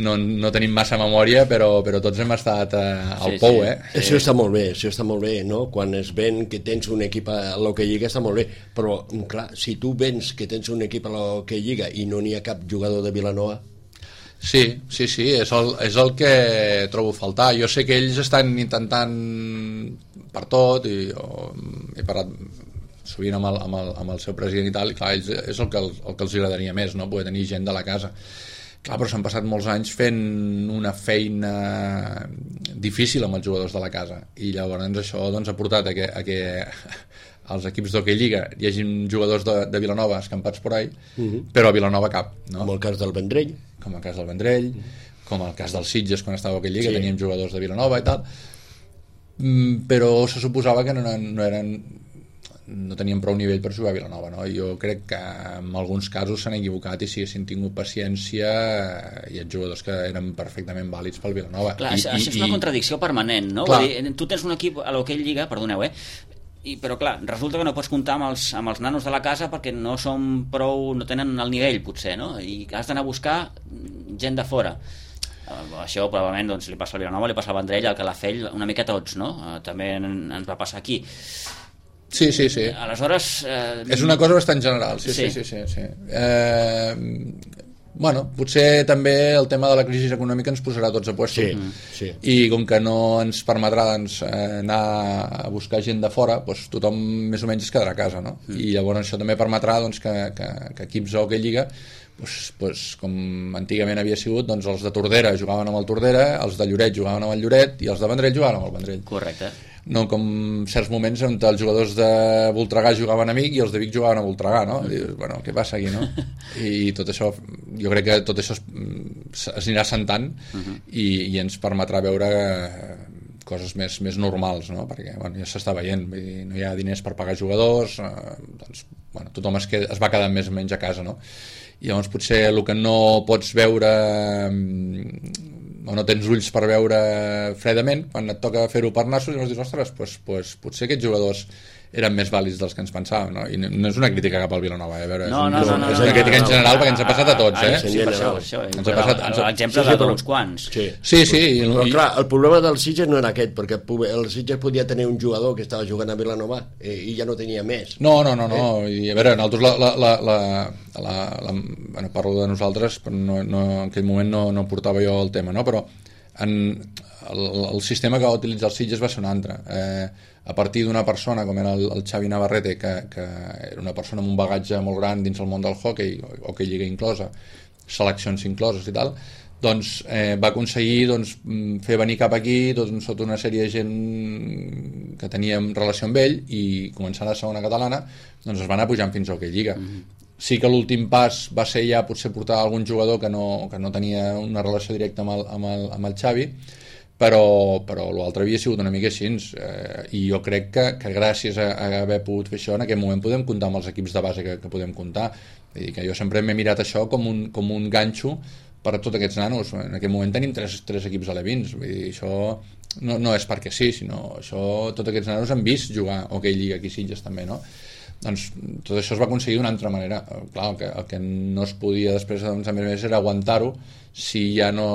Speaker 3: no, no tenim massa memòria, però, però tots hem estat eh, al sí, pou, eh?
Speaker 2: Sí. Això està molt bé, això està molt bé, no? Quan es ven que tens un equip a l'Hockey Lliga està molt bé, però clar, si tu vens que tens un equip a l'Hockey Lliga i no n'hi ha cap jugador de Vilanova.
Speaker 3: Sí, sí, sí, és el, és el que trobo a faltar. Jo sé que ells estan intentant per tot i o, he parlat sovint amb el, amb, el, amb el seu president i tal, i clar, ells, és el que, el, el que els agradaria més, no? Poder tenir gent de la casa. Clar, però s'han passat molts anys fent una feina difícil amb els jugadors de la casa i llavors això doncs, ha portat a que, a que als equips d'Hockey Lliga hi hagi jugadors de, de Vilanova escampats por ahí, uh-huh. però a Vilanova cap, no?
Speaker 2: Com el cas del Vendrell,
Speaker 3: com el cas del Vendrell, uh-huh. com el cas del Sitges quan estava a Hockey Lliga, sí. Teníem jugadors de Vilanova i tal, mm, però se suposava que no, no eren no tenien prou nivell per jugar a Vilanova, no? Jo crec que en alguns casos s'han equivocat i si haguessin tingut paciència hi ha jugadors que eren perfectament vàlids pel Vilanova.
Speaker 1: Clar,
Speaker 3: I,
Speaker 1: això
Speaker 3: i,
Speaker 1: és una contradicció permanent, no? Vull dir, tu tens un equip a l'Hockey Lliga, perdoneu, eh? I, però clar, resulta que no pots comptar amb els, amb els nanos de la casa perquè no són prou, no tenen el nivell potser, no? I has d'anar a buscar gent de fora. Uh, això probablement doncs, li passa al Vilanova, li passa al Vendrell, al Calafell, una mica a tots, no? Uh, també en, ens va passar aquí.
Speaker 3: Sí, sí, sí.
Speaker 1: Aleshores... Eh...
Speaker 3: És una cosa bastant general, sí, sí, sí. sí, sí, sí. Eh... Bueno, potser també el tema de la crisi econòmica ens posarà tots a puesto.
Speaker 2: Sí, sí.
Speaker 3: I com que no ens permetrà doncs, anar a buscar gent de fora, doncs tothom més o menys es quedarà a casa, no? Mm. I llavors això també permetrà doncs, que, que, que equips o que Lliga, doncs, doncs, com antigament havia sigut, doncs els de Tordera jugaven amb el Tordera, els de Lloret jugaven amb el Lloret i els de Vendrell jugaven amb el Vendrell.
Speaker 1: Correcte.
Speaker 3: No com certs moments on els jugadors de Voltregà jugaven a Vic i els de Vic jugaven a Voltregà, no? I dius, bueno, què passa aquí, no? I tot això, jo crec que tot això es, es anirà sentant uh-huh. i, i ens permetrà veure coses més, més normals, no? Perquè bueno, ja s'està veient, vull dir, no hi ha diners per pagar jugadors, eh, doncs, bueno, tothom es, queda, es va quedar més o menys a casa, no? I llavors potser el que no pots veure o no tens ulls per veure fredament, quan et toca fer-ho per nassos, i llavors dius, ostres, pues, pues, potser aquests jugadors eren més vàlids dels que ens pensàvem, no? I no és una crítica cap al Vilanova, eh? A veure,
Speaker 1: no,
Speaker 3: és,
Speaker 1: no,
Speaker 3: un,
Speaker 1: no, no,
Speaker 3: és una crítica
Speaker 1: no, no,
Speaker 3: en general
Speaker 1: no,
Speaker 3: perquè ens ha passat a tots, eh?
Speaker 1: Sí, per això, per això.
Speaker 3: Ens ha passat...
Speaker 1: L'exemple sí, sí, d'uns quants.
Speaker 2: Sí,
Speaker 3: sí. sí i,
Speaker 2: però clar, el problema del Sitges no era aquest, perquè el Sitges podia tenir un jugador que estava jugant a Vilanova i ja no tenia més.
Speaker 3: No, no, no, no. Eh? I a veure, nosaltres la, la, la, la, la, la, bueno, parlo de nosaltres, però no, no, en aquell moment no, no portava jo el tema, no? Però en, el, el sistema que va utilitzar el Sitges va ser un altre. Eh, a partir d'una persona com era el, el Xavi Navarrete, que, que era una persona amb un bagatge molt gran dins el món del hockey, hockey lliga inclosa, seleccions incloses i tal, doncs eh, va aconseguir doncs, fer venir cap aquí doncs, sota una sèrie de gent que teníem relació amb ell i començant a la segona catalana doncs es van anar pujant fins a hockey lliga. Mm-hmm. Sí que l'últim pas va ser ja potser portar algun jugador que no, que no tenia una relació directa amb el, amb el, amb el Xavi, però, però l'altre havia sigut una mica així, eh, i jo crec que, que gràcies a, a haver pogut fer això en aquest moment podem comptar amb els equips de base que, que podem comptar. Vull dir que jo sempre m'he mirat això com un, com un ganxo per a tots aquests nanos. En aquest moment tenim tres, tres equips alevins, vull dir, això no, no és perquè sí, sinó això, tots aquests nanos han vist jugar hoquei lliga aquí a Sitges també, no? Doncs tot això es va aconseguir d'una altra manera. Clar, el que, el que no es podia després, doncs, a més a més, era aguantar-ho si ja no,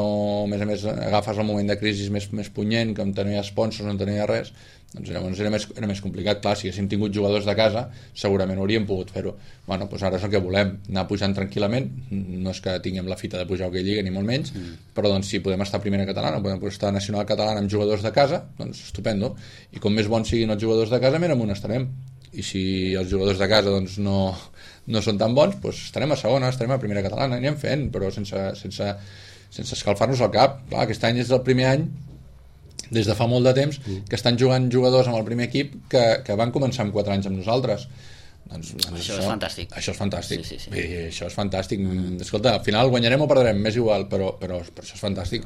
Speaker 3: a més a més, agafes el moment de crisi més, més punyent, que on no hi ha sponsors, on no hi ha res, doncs llavors era més, era més complicat. Clar, si haguéssim tingut jugadors de casa, segurament hauríem pogut fer-ho. Bueno, doncs ara és el que volem, anar pujant tranquil·lament, no és que tinguem la fita de pujar a hoquei lliga, ni molt menys, mm. però doncs si podem estar a primera catalana, podem estar a nacional catalana amb jugadors de casa, doncs estupendo. I com més bons siguin els jugadors de casa, més amunt estarem. I si els jugadors de casa doncs, no, no són tan bons, doncs estarem a segona, estarem a primera catalana, anirem fent, però sense, sense, sense escalfar-nos el cap. Clar, aquest any és el primer any, des de fa molt de temps, que estan jugant jugadors amb el primer equip que, que van començar amb quatre anys amb nosaltres. Doncs, doncs
Speaker 1: això, això és fantàstic.
Speaker 3: Això és fantàstic.
Speaker 1: Sí, sí, sí.
Speaker 3: I això és fantàstic. Mm. Escolta, al final guanyarem o perdrem, m'és igual, però, però, però això és fantàstic.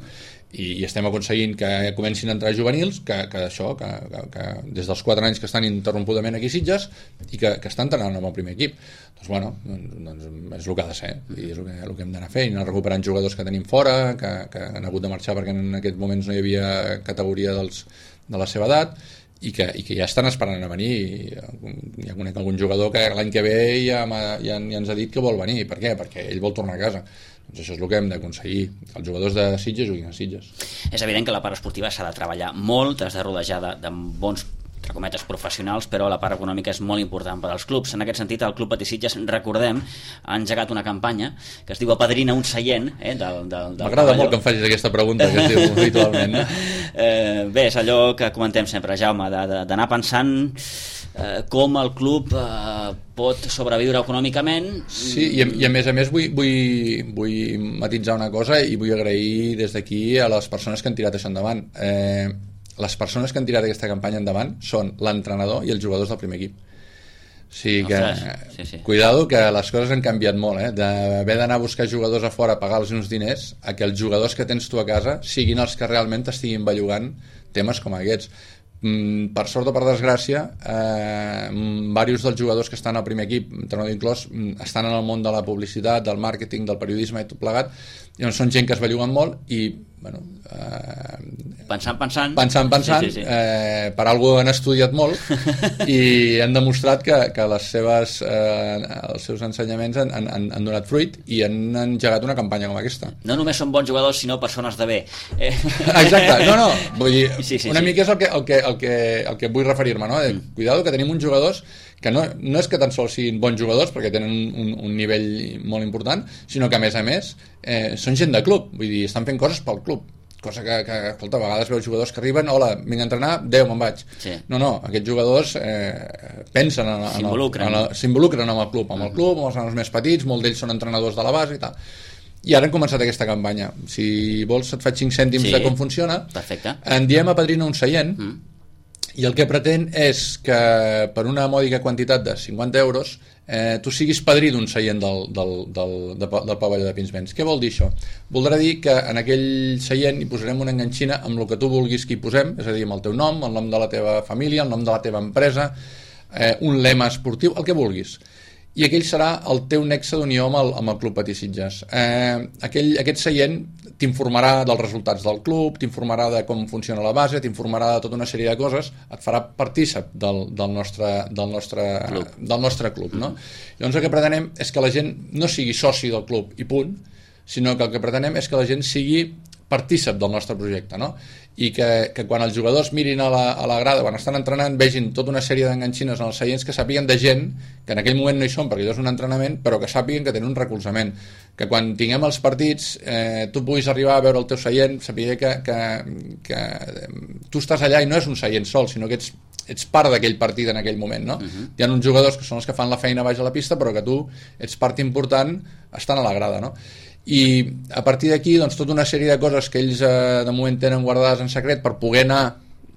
Speaker 3: I, i estem aconseguint que comencin a entrar juvenils, que, que això, que, que, que des dels quatre anys que estan ininterrompudament aquí a Sitges i que, que estan entrenant amb el primer equip. Doncs bueno, doncs, doncs és el que ha de ser, i és el que, el que hem d'anar fent, i anar recuperant jugadors que tenim fora, que, que han hagut de marxar perquè en aquests moments no hi havia categoria dels, de la seva edat, i que, i que ja estan esperant a venir. Ja conec algun jugador que l'any que ve ja, ja, ja ens ha dit que vol venir. Per què? Perquè ell vol tornar a casa. Doncs això és el que hem d'aconseguir, que els jugadors de Sitges juguin a Sitges.
Speaker 1: És evident que la part esportiva s'ha de treballar molt, t'has de rodejar de, de bons, entre cometes, professionals, però la part econòmica és molt important per als clubs. En aquest sentit, el Club Patí Sitges, recordem, ha engegat una campanya que es diu Apadrina un seient, eh, del, del, del
Speaker 3: M'agrada molt que em facis aquesta pregunta que es diu habitualment.
Speaker 1: Eh, bé, és allò que comentem sempre, Jaume, d'anar pensant eh, com el club eh, pot sobreviure econòmicament.
Speaker 3: Sí, i a, i a més a més vull, vull, vull matitzar una cosa i vull agrair des d'aquí a les persones que han tirat això endavant. Eh, les persones que han tirat aquesta campanya endavant són l'entrenador i els jugadors del primer equip. O sigui que, sí, sí. Cuidado, que les coses han canviat molt, eh? D'haver d'anar a buscar jugadors a fora, pagar-los uns diners, a que els jugadors que tens tu a casa siguin els que realment t'estiguin bellugant temes com aquests. Mm, per sort o per desgràcia, eh, diversos dels jugadors que estan al primer equip, entrenador inclòs, estan en el món de la publicitat, del màrqueting, del periodisme i tot plegat, i són gent que es belluguen molt i bueno, eh,
Speaker 1: pensant, pensant
Speaker 3: pensant, pensant
Speaker 1: sí, sí, sí.
Speaker 3: Eh, per alguna han estudiat molt i han demostrat que, que les seves, eh, els seus ensenyaments han, han, han donat fruit i han engegat una campanya com aquesta.
Speaker 1: No només són bons jugadors, sinó persones de bé. Eh.
Speaker 3: Exacte, no, no, vull dir,
Speaker 1: sí, sí,
Speaker 3: una
Speaker 1: sí.
Speaker 3: mica és el que, el que, el que, el que vull referir-me, no? Mm. Cuidado, que tenim uns jugadors que no, no és que tan sols siguin bons jugadors perquè tenen un, un nivell molt important, sinó que a més a més eh, són gent de club, vull dir, estan fent coses pel club, cosa que, que escolta, a vegades veus jugadors que arriben, hola, vinc a entrenar, adeu, me'n vaig. Sí. No, no, aquests jugadors eh, pensen en, en,
Speaker 1: s'involucren.
Speaker 3: en, en, s'involucren amb el club, amb el club, amb els nanos més petits, molts d'ells són entrenadors de la base i tal. I ara hem començat aquesta campanya. Si vols et faig cinc cèntims sí. de com funciona.
Speaker 1: Perfecte.
Speaker 3: En diem Apadrina un seient, mm. i el que pretén és que per una mòdica quantitat de cinquanta euros eh, tu siguis padrí d'un seient del, del, del, del, del pavelló de Pinsbens. Què vol dir això? Voldrà dir que en aquell seient hi posarem una enganxina amb el que tu vulguis que hi posem, és a dir, amb el teu nom, el nom de la teva família, el nom de la teva empresa, eh, un lema esportiu, el que vulguis. I aquell serà el teu nexe d'unió amb el, amb el Club Patí Sitges. Eh, aquell, aquest seient t'informarà dels resultats del club, t'informarà de com funciona la base, t'informarà de tota una sèrie de coses, et farà partícip del, del, nostre, del, nostre, club. del nostre club. No? Llavors el que pretenem és que la gent no sigui soci del club i punt, sinó que el que pretenem és que la gent sigui partícip del nostre projecte, no? I que, que quan els jugadors mirin a la, a la grada, quan estan entrenant, vegin tota una sèrie d'enganxines en els seients, que sàpiguen de gent que en aquell moment no hi són perquè allò és un entrenament, però que sàpiguen que tenen un recolzament, que quan tinguem els partits eh, tu puguis arribar a veure el teu seient, saber que, que, que tu estàs allà i no és un seient sol, sinó que ets, ets part d'aquell partit en aquell moment, no? Uh-huh. Hi ha uns jugadors que són els que fan la feina baix a la pista, però que tu ets part important estant a la grada, no? I a partir d'aquí doncs, tota una sèrie de coses que ells eh, de moment tenen guardades en secret per poder anar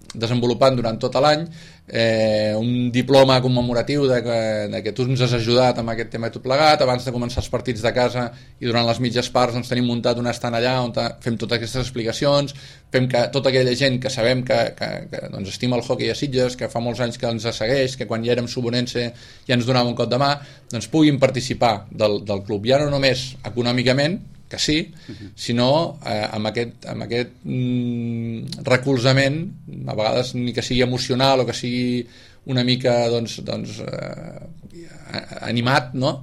Speaker 3: desenvolupant durant tot l'any, eh, un diploma commemoratiu de que, de que tu ens has ajudat amb aquest tema i tot plegat, abans de començar els partits de casa i durant les mitges parts doncs, tenim muntat un estant allà on fem totes aquestes explicacions, fem que tota aquella gent que sabem que, que, que doncs, estima el hoquei a Sitges, que fa molts anys que ens segueix, que quan ja érem subonense ja ens donava un cop de mà, doncs puguin participar del, del club, ja no només econòmicament, que sí, uh-huh. sinó eh, amb aquest, amb aquest mm, recolzament, a vegades ni que sigui emocional o que sigui una mica doncs, doncs, eh, animat, no?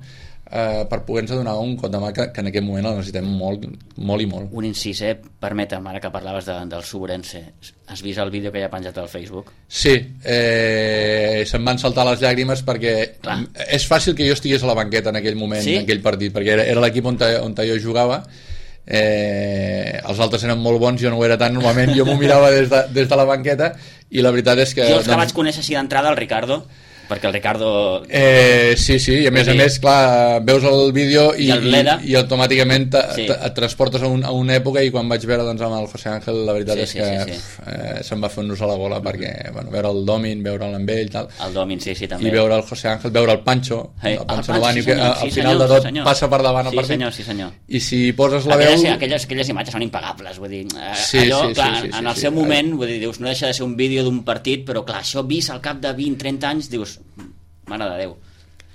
Speaker 3: Eh, per poder-nos donar un cop de mà que, que en aquest moment el necessitem molt, molt i molt.
Speaker 1: Un incís, eh? Permetem, ara que parlaves de, del Suburense, has vist el vídeo que hi ha penjat al Facebook?
Speaker 3: Sí, eh, se'm van saltar les llàgrimes perquè Clar. és fàcil que jo estigués a la banqueta en aquell moment, sí? en aquell partit, perquè era, era l'equip on, on jo jugava. Eh, els altres eren molt bons, jo no ho era tant normalment, jo m'ho mirava des de, des de la banqueta i la veritat és que...
Speaker 1: Jo els que
Speaker 3: doncs...
Speaker 1: vaig conèixer així d'entrada, el Ricardo, perquè el Ricardo...
Speaker 3: Eh, sí, sí, i a més a més, clar, veus el vídeo i,
Speaker 1: I,
Speaker 3: i, i automàticament te,
Speaker 1: sí.
Speaker 3: te, et transportes a, un, a una època, i quan vaig veure doncs, amb el José Ángel, la veritat
Speaker 1: sí,
Speaker 3: és que
Speaker 1: sí, sí, sí.
Speaker 3: Eh, se'm va fer un nus a la gola, mm-hmm. perquè bueno, veure el Domin, veure'l amb ell tal,
Speaker 1: el Domin, sí, sí, també.
Speaker 3: I veure el José Ángel, veure el Pancho,
Speaker 1: hey,
Speaker 3: el Pancho
Speaker 1: el
Speaker 3: Novani,
Speaker 1: sí,
Speaker 3: que al
Speaker 1: sí,
Speaker 3: final
Speaker 1: senyor,
Speaker 3: de tot
Speaker 1: sí,
Speaker 3: passa per davant el
Speaker 1: sí,
Speaker 3: partit.
Speaker 1: Senyor, sí, senyor.
Speaker 3: I si poses la
Speaker 1: aquelles,
Speaker 3: veu...
Speaker 1: Aquelles, aquelles imatges són impagables, vull dir,
Speaker 3: sí,
Speaker 1: allò,
Speaker 3: sí,
Speaker 1: clar,
Speaker 3: sí, sí,
Speaker 1: en el
Speaker 3: sí,
Speaker 1: seu
Speaker 3: sí,
Speaker 1: moment, vull dir, dius, no deixa de ser un vídeo d'un partit, però clar, això vist al cap de vint trenta anys, dius, mare de Déu.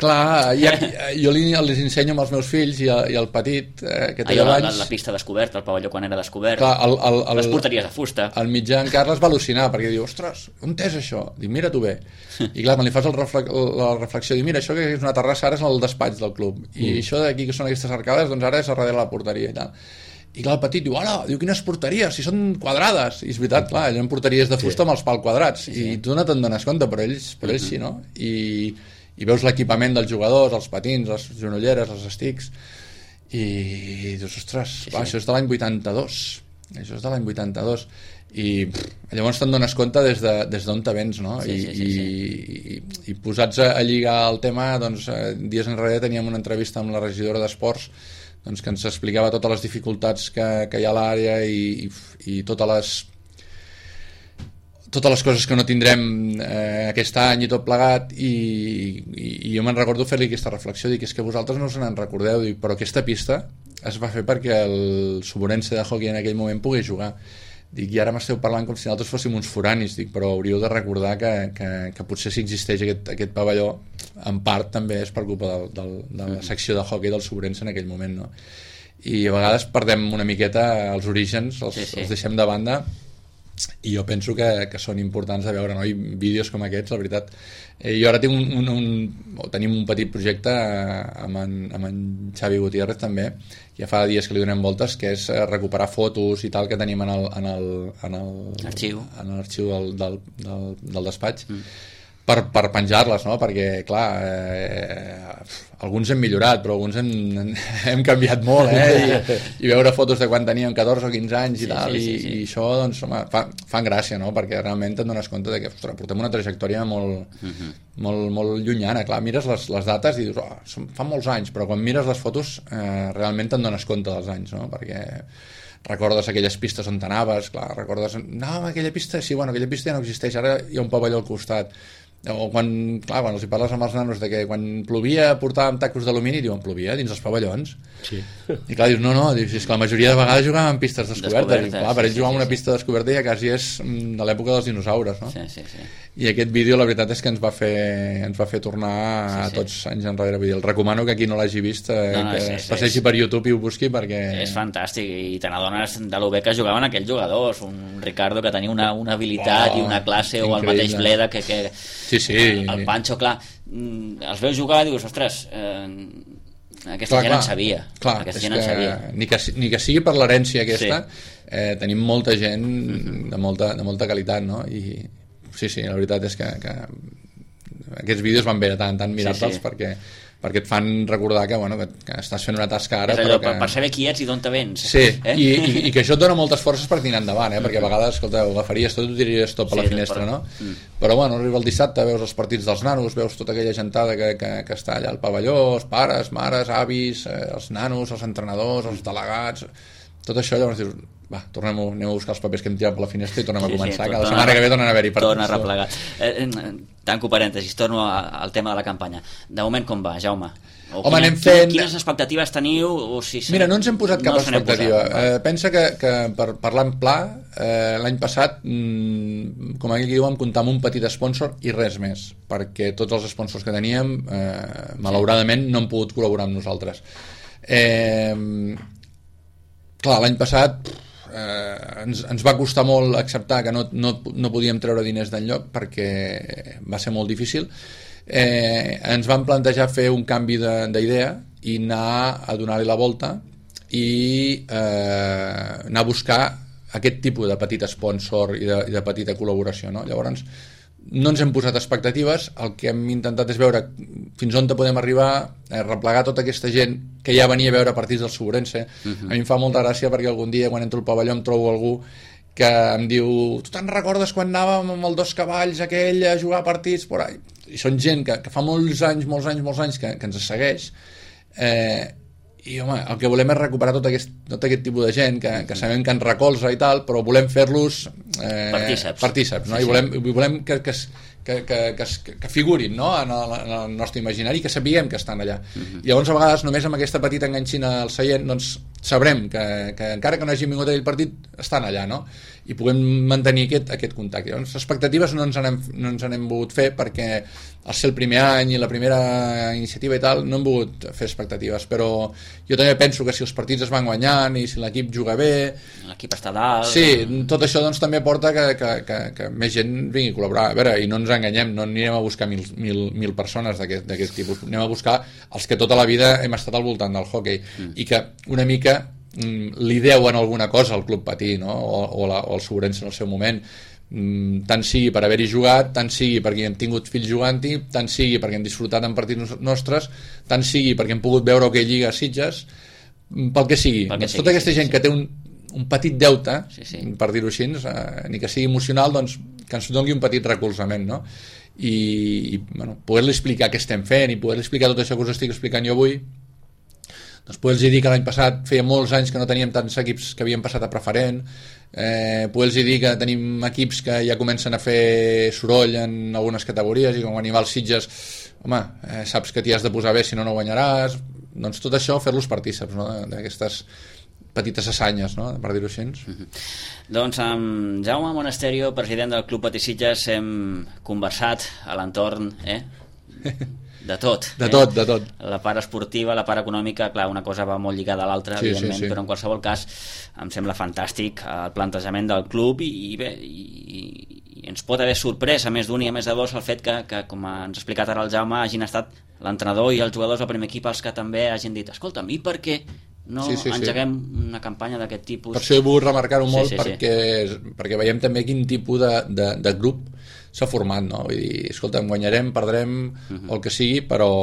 Speaker 3: Clar, ja, jo li, els ensenyo amb els meus fills i el, i el petit eh, que té
Speaker 1: allò,
Speaker 3: deu
Speaker 1: la,
Speaker 3: anys.
Speaker 1: la, la pista descoberta, el pavelló quan era descobert,
Speaker 3: clar, el, el, el,
Speaker 1: les porteries de fusta.
Speaker 3: El mitjà en Carles va al·lucinar perquè diu, ostres, on és això? Dic, mira tu bé. I clar, quan li fas el reflex, la reflexió, diu, mira, això que és una terrassa ara és el despatx del club, i mm. això d'aquí que són aquestes arcades, doncs ara és a darrere la porteria i tal. I clar, el petit diu, hola, diu, quines porteries, si són quadrades. I és veritat, clar, allò en porteries de fusta sí. amb els pals quadrats, sí, sí. i tu no te'n dones compte, però ells, però ells mm-hmm. sí, no? I i veus l'equipament dels jugadors, els patins, les genolleres, els estics, i dius, ostres, sí, sí. Va, això és de l'any vuitanta-dos, això és de l'any vuitanta-dos, i pff, llavors te'n dones compte des de, des d'on te vens, no?
Speaker 1: Sí,
Speaker 3: I,
Speaker 1: sí, sí,
Speaker 3: sí. I, i posats a, a lligar el tema, doncs, eh, dies enrere teníem una entrevista amb la regidora d'Esports, doncs, que ens explicava totes les dificultats que, que hi ha a l'àrea i, i, i totes les totes les coses que no tindrem eh, aquest any i tot plegat, i, i, i jo me'n recordo fer-li aquesta reflexió, dic, és que vosaltres no se n'en recordeu, dic, però aquesta pista es va fer perquè el Suburense de hockey en aquell moment pogués jugar, dic, i ara m'esteu parlant com si nosaltres fóssim uns foranis, dic, però hauríeu de recordar que, que, que potser si existeix aquest, aquest pavelló, en part també és per culpa del, del, de la secció de hockey del Suburense en aquell moment, no? I a vegades perdem una miqueta els orígens, els, sí, sí. els deixem de banda, i jo penso que, que són importants de veure, no? I vídeos com aquests, la veritat. Eh, jo ara tinc un, un, un, o tenim un petit projecte amb en, amb en Xavi Gutiérrez també, ja fa dies que li donem voltes, que és recuperar fotos i tal que tenim en el, en el, en el,
Speaker 1: arxiu,
Speaker 3: en l'arxiu del, del, del, del despatx, mm. per, per penjar-les, no? Perquè, clar, eh, alguns hem millorat, però alguns hem, hem canviat molt, eh? I, i veure fotos de quan teníem catorze o quinze anys i sí, tal, sí, sí, sí. I, i això, doncs, home, fa, fan gràcia, no? Perquè realment et dones compte de que, ostres, portem una trajectòria molt, uh-huh. molt, molt llunyana, clar, mires les, les dates i dius, oh, són, fa molts anys, però quan mires les fotos eh, realment te'n dones compte dels anys, no? Perquè recordes aquelles pistes on t'anaves, clar, recordes, no, aquella pista, sí, bueno, aquella pista ja no existeix, ara hi ha un pavelló al costat, o quan, clar, quan els hi parles amb els nanos de que quan plovia portàvem tacos d'alumini, diuen, plovia dins els pavellons, sí. I clar, dius, no, no, dius, és que la majoria de vegades jugàvem en pistes descobertes, descobertes i, clar, per ells sí, jugar sí, una sí. pista descoberta ja quasi és de l'època dels dinosaures, no?
Speaker 1: Sí, sí, sí.
Speaker 3: I aquest vídeo la veritat és que ens va fer, ens va fer tornar sí, sí. a tots anys enrere, vull dir, el recomano que qui no l'hagi vist eh, no, no, que és, es passegi és, per YouTube i ho busqui perquè...
Speaker 1: És fantàstic, i te n'adones de lo bé que jugaven aquells jugadors, un Ricardo que tenia una, una habilitat oh, i una classe, increïble. O el mateix Bleda que, que
Speaker 3: sí, sí.
Speaker 1: el Pancho, clar, els veus jugar i dius, ostres, eh, aquesta
Speaker 3: clar,
Speaker 1: gent
Speaker 3: clar,
Speaker 1: en sabia,
Speaker 3: clar,
Speaker 1: aquesta gent en sabia.
Speaker 3: Ni que, ni que sigui per l'herència aquesta, sí. eh, tenim molta gent de molta, de molta qualitat, no? I sí, sí, la veritat és que, que aquests vídeos van bé de tant en tant mirar-te'ls sí, sí. perquè, perquè et fan recordar que, bueno, que, que estàs fent una tasca ara,
Speaker 1: allò,
Speaker 3: però que...
Speaker 1: per saber qui ets i d'on te vens,
Speaker 3: sí, eh? I, i, i que això et dona moltes forces per tirar endavant, eh? Perquè a vegades, escolta, ho agafaries tot i ho tiraries tot per sí, la finestra, no? Mm. Però bueno, arriba el dissabte, veus els partits dels nanos, veus tota aquella gentada que, que, que està allà al pavelló, els pares, mares, avis, eh, els nanos, els entrenadors, els delegats, tot això, llavors dius, va, tornem a, anem a buscar els papers que hem tirat per la finestra i tornem sí, a començar, sí, que la setmana que ve tornen a haver-hi partits.
Speaker 1: Torna a replegar. Eh, tanco parèntesis, torno a, al tema de la campanya. De moment com va, Jaume? O
Speaker 3: Home,
Speaker 1: quina,
Speaker 3: anem fent...
Speaker 1: Quines expectatives teniu? O si
Speaker 3: Mira, no ens hem posat cap no expectativa. Posat, eh, pensa que, que per parlar en pla, eh, l'any passat, mmm, com aquí diu, vam comptar amb un petit sponsor i res més, perquè tots els sponsors que teníem, eh, malauradament, no han pogut col·laborar amb nosaltres. Eh... clar, l'any passat eh, ens, ens va costar molt acceptar que no, no, no podíem treure diners d'enlloc perquè va ser molt difícil. Eh, ens vam plantejar fer un canvi d'idea i anar a donar-li la volta i eh, anar a buscar aquest tipus de petit sponsor i de, i de petita col·laboració, no? Llavors no ens hem posat expectatives, el que hem intentat és veure fins on podem arribar, eh, replegar tota aquesta gent que ja venia a veure partits del Sobrense. Uh-huh. A mi em fa molta gràcia perquè algun dia quan entro al pavelló em trobo algú que em diu, tu te'n recordes quan anàvem amb els dos cavalls aquell a jugar partits por ahí? I són gent que, que fa molts anys, molts anys, molts anys que, que ens segueix, eh, i home, el que volem és recuperar tot aquest, tot aquest tipus de gent que, que sabem que ens recolza i tal, però volem fer-los eh,
Speaker 1: partíceps,
Speaker 3: partíceps no? Sí, sí. I volem, volem que, que, que, que, que, que figurin, no? en, el, en el nostre imaginari, que sapiguem que estan allà. Uh-huh. Llavors a vegades només amb aquesta petita enganxina al seient doncs sabrem que, que encara que no hagin vingut a aquell partit estan allà, no? I puguem mantenir aquest, aquest contacte. Llavors, expectatives no ens n'hem no ens n'hem volgut fer perquè al ser el primer any i la primera iniciativa i tal no hem volgut fer expectatives, però jo també penso que si els partits es van guanyant i si l'equip juga bé,
Speaker 1: l'equip està dalt,
Speaker 3: sí, tot això doncs també porta que, que, que, que més gent vingui a col·laborar. A veure, i no ens enganyem, no anirem a buscar mil, mil, mil persones d'aquest tipus, anem a buscar els que tota la vida hem estat al voltant del hoquei mm. i que una mica li deuen alguna cosa al Club Patí, no? o, o, la, o el Sobrense en el seu moment, tant sigui per haver-hi jugat, tant sigui perquè hem tingut fills jugant-hi, tant sigui perquè hem disfrutat en partits nostres, tant sigui perquè hem pogut veure que lliga a Sitges, pel que sigui, pel que doncs sigui tota aquesta sí, gent sí. que té un, un petit deute, sí, sí. per dir-ho així, eh, ni que sigui emocional, doncs que ens doni un petit recolzament, no? I, i bueno, poder-li explicar què estem fent i poder-li explicar tot això que us estic explicant jo avui, doncs poder-los dir que l'any passat feia molts anys que no teníem tants equips que havien passat a preferent, eh, poder-los dir que tenim equips que ja comencen a fer soroll en algunes categories i com quan hi va als Sitges, home, eh, saps que t'hi has de posar bé si no no guanyaràs, doncs tot això fer-los partíceps, no? d'aquestes petites assanyes, no? per dir-ho així.
Speaker 1: Uh-huh. Doncs amb Jaume Monasterio, president del Club Patí Sitges, hem conversat a l'entorn eh? de tot,
Speaker 3: de
Speaker 1: eh?
Speaker 3: tot, de tot.
Speaker 1: La part esportiva, la part econòmica, clar, una cosa va molt lligada a l'altra, sí, evidentment, sí, sí. però en qualsevol cas em sembla fantàstic el plantejament del club i, i bé, i, i ens pot haver sorprès a més d'un i a més de dos el fet que, que com ens ha explicat ara el Jaume, hagin estat l'entrenador i els jugadors del primer equip els que també hagin dit, escolta'm, i per què no sí, sí, engeguem sí. una campanya d'aquest tipus? Per
Speaker 3: això he volgut remarcar-ho molt, sí, sí, perquè, sí. perquè veiem també quin tipus de, de, de grup s'ha format, no? Vull dir, escolta, guanyarem, perdrem, uh-huh. el que sigui, però,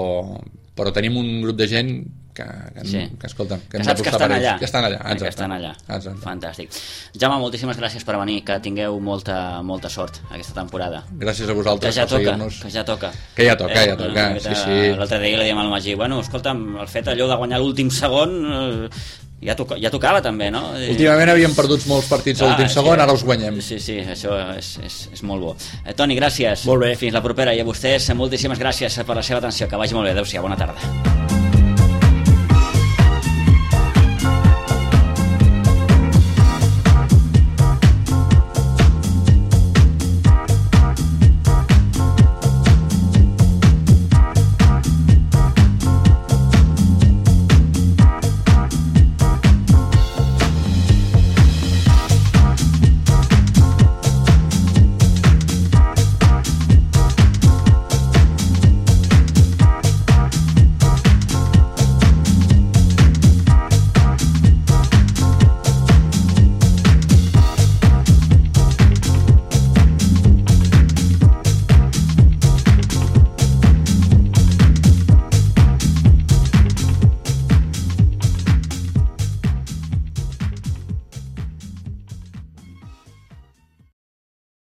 Speaker 3: però tenim un grup de gent que, que, sí. que escolta, que,
Speaker 1: que saps que estan allà.
Speaker 3: Que estan allà, exacte.
Speaker 1: Que estan allà.
Speaker 3: Exacte.
Speaker 1: Fantàstic. Jaume, moltíssimes gràcies per venir, que tingueu molta, molta sort aquesta temporada.
Speaker 3: Gràcies a vosaltres
Speaker 1: que ja
Speaker 3: per
Speaker 1: toca,
Speaker 3: seguir-nos.
Speaker 1: Que ja toca.
Speaker 3: Que ja toca, eh, ja toca, sí, sí.
Speaker 1: L'altre dia li dèiem al Magí, bueno, escolta'm, el fet allò de guanyar l'últim segon... Eh, Ja, toca, ja tocava també, no?
Speaker 3: Últimament havíem perdut molts partits a l'últim ah, segon, sí, ara els guanyem.
Speaker 1: Sí, sí, això és, és, és molt bo. eh, Toni, gràcies.
Speaker 2: Molt bé.
Speaker 1: Fins la propera. I a vostès, moltíssimes gràcies per la seva atenció. Que vagi molt bé. Adéu-siau, bona tarda.